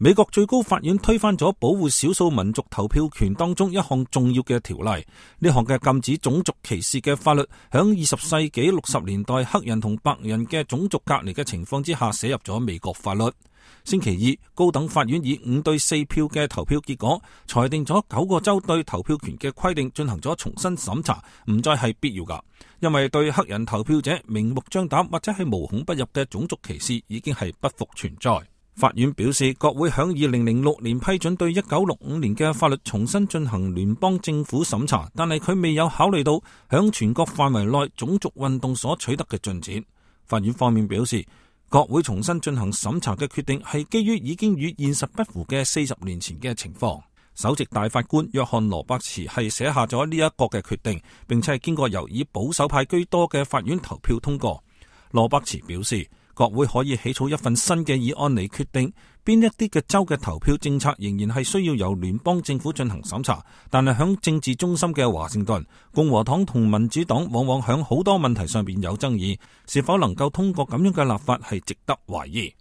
美國最高法院推翻咗保護少數民族投票權當中一項重要嘅條例。呢項嘅禁止種族歧視嘅法律，響20世紀60年代黑人同白人嘅種族隔離嘅情況之下寫入咗美國法律。星期二，高等法院以5對4票嘅投票結果，裁定咗9個州對投票權嘅規定進行咗重新審查，唔再係必要噶，因為對黑人投票者明目張膽或者係無孔不入嘅種族歧視已經係不復存在。法院表示，國會響2006年批准對1965年嘅法律重新進行聯邦政府審查，但係佢未有考慮到響全國範圍內種族運動所取得嘅進展。法院方面表示，國會重新進行審查嘅決定係基於已經與現實不符嘅40年前嘅情況。首席大法官約翰羅伯茨係寫下咗呢一個嘅決定，並且係經過由以保守派居多嘅法院投票通過。羅伯茨表示，國會可以起草一份新嘅議案嚟決定邊一啲嘅州嘅投票政策仍然係需要由聯邦政府進行審查，但係響政治中心嘅華盛頓，共和黨同民主黨往往響好多問題上邊有爭議，是否能夠通過咁樣嘅立法係值得懷疑。